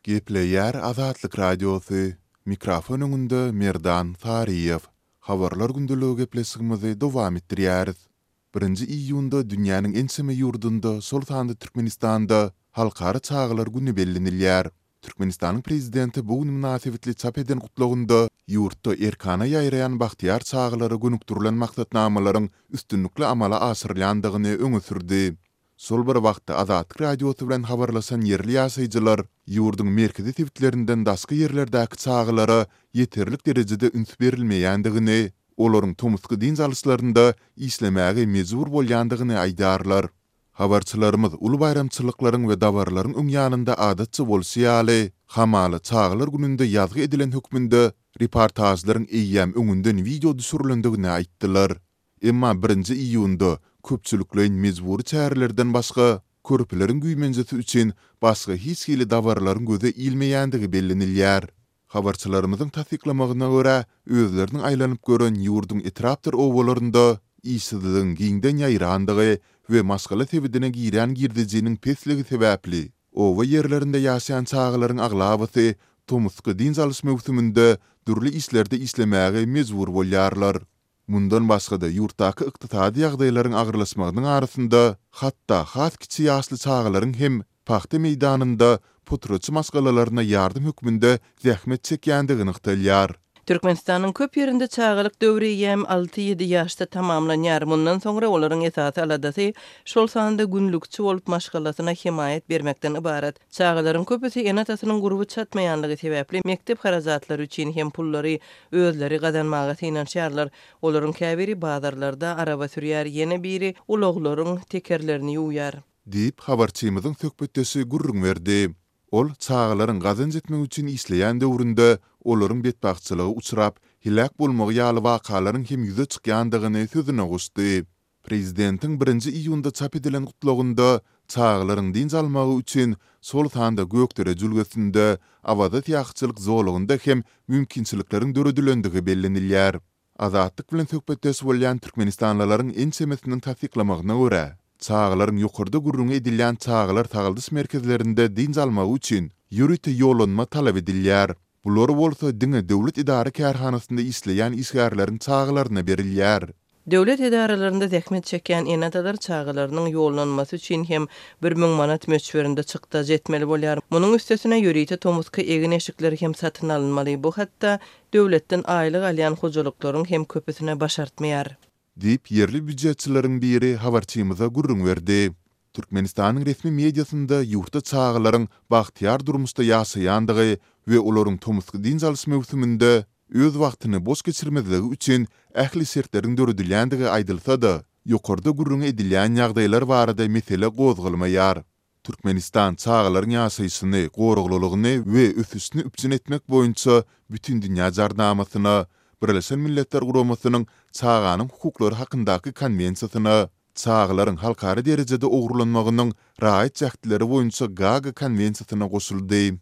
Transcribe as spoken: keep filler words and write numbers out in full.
Gepleýär Azatlyk Radiosy, mikrofon öňünde Merdan Saryýew. Habarlar gündeligi gepleşigimizi dowam etdirýäris. Birinji iýunda dünýäniň ençeme ýurdunda, şol sanda Türkmenistanda Halkara çagalar güni bellenilýär. Türkmenistanyň Prezidenti bu gün mynasybetli çap eden gutlagynda ýurtda erkana ýaýraýan bagtyýar çagalara gönükdirilen maksatnamalaryň üstünlikli amala aşyrylýandygyny öňe sürdi. Şol bir wagtda, Azatlyk Radiosy bilen habarlaşan ýerli ýaşaýjylar ýurduň merkezi sebitlerinden daşky ýerlerdäki çagalara ýeterlik derejede üns berilmeýändigini, olaryň tomusky dynç alyşlarynda işlemäge mejbur bolýandygyny aýdýarlar. Habarçylarymyz uly baýramçylyklaryň we dabaralaryň öň ýanynda adatça bolşy ýaly, hamala çagalar gününde ýazgy edilen hökmünde reportažlaryň eýýäm öňünden wideo düşürilendigini aýtdylar. Emma birinji iýunda köpçülikleýin mejbury çärelerden başga, körpeleriň güýmenjesi üçin başga hiç hili dabaralaryň göze ilmeýändigi bellenilýär. Habarçylarymyzyň tassyklamagyna görä, özleriniň aýlanyp gören ýurduň etrapdyr obalarynda işsizligiň giňden ýaýrandygy we maşgala sebedine girýän girdejiniň pesligi sebäpli, oba ýerlerinde ýaşaýan çagalaryň aglabasy tomusky dynç alyş möwsüminde dürli işlerde işlemäge mejbur bolýarlar. Mundan başga-da, ýurtdaky ykdysady ýagdaýlaryň agyrlaşmagynyň arasynda, hatda has kiçi ýaşly çagalaryň hem pagta meýdanynda potratçy maşgalalaryna ýardam hökmünde zähmet çekýändigi nygtalýar. Türkmenistanyň köp ýerinde çagalyk döwri eýýäm alty-ýedi ýaşda tamamlanýar. Mundan soňra olaryň esasy aladasy, şol sanda günlükçi bolup maşgalasyna hemaýat bermekden ybarat. Çagalaryň köpüsi ene-atasynyň gurby çatmaýanlygy sebäpli mekdep harajatlary üçin hem pullary özleri gazanmaga synanyşýarlar. Olaryň käbiri bazarlarda araba sürýär, ýene biri ulaglaryň tekerlerini ýuwýar. Diýip, habarçymyzyň söhbetdeşi gürrüň berdi. Ol çagalaryň gazanç etmek üçin işleýän döwründe olaryň betbagtçylyga uçrap, heläk bolmagy ýaly wakalaryň hem ýüze çykýandygyny sözüne goşdy. Prezidentiň birinji iýunda çap edilen gutlagynda çagalaryň dynç almagy üçin şol sanda Gökdere jülgesinde, Awaza syýahatçylyk zolagynda hem mümkinçilikleriň döredilendigi bellenilýär. Azatlyk bilen söhbetdeş bolýan türkmenistanlylaryň ençemesiniň tassyklamagyna görä, çagalaryň ýokarda gürrüňi edilýän çagalar sagaldyş merkezlerinde dynç almagy üçin ýörite ýollanma talap edilýär. Bular bolsa diňe döwlet edara-kärhanasynda işleýän işgärleriň çagalaryna berilýär. Döwlet edaralarynda zähmet çekýän ene-atalar çagalarynyň ýollanmasy üçin hem bir müň manat möçberinde çykdajy etmeli bolýar. Munuň üstesine ýörite tomusky egin-eşikler hem satyn alynmaly. Bu hatda döwletden aýlyk alýan hojalyklaryň hem köpüsine başartmaýar. Diýip, ýerli býujetçileriň biri habarçymyza gürrüň berdi. Türkmenistanyň resmi mediasynda ýurtda çagalaryň bagtyýar durmuşda ýaşaýandygy we olaryň tomusky dynç alyş möwsüminde öz wagtyny boş geçirmezligi üçin ähli şertleriň döredilýändigi aýdylsa-da, ýokarda gürrüňi edilýän ýagdaýlar barada mesele gozgalmaýar. Türkmenistan çagalaryň ýaşaýşyny, goraglylygyny we ösüşini üpjün etmek boýunça Bütindünýä Jarnamasyna, Birleşen Milletler Guramasynyň Çaganyň hukuklary hakyndaky Konwensiýasyna, Çagalaryň halkara derejede ogurlanmagynyň raýat jähtleri boýunça Gaaga konwensiýasyna goşuldy.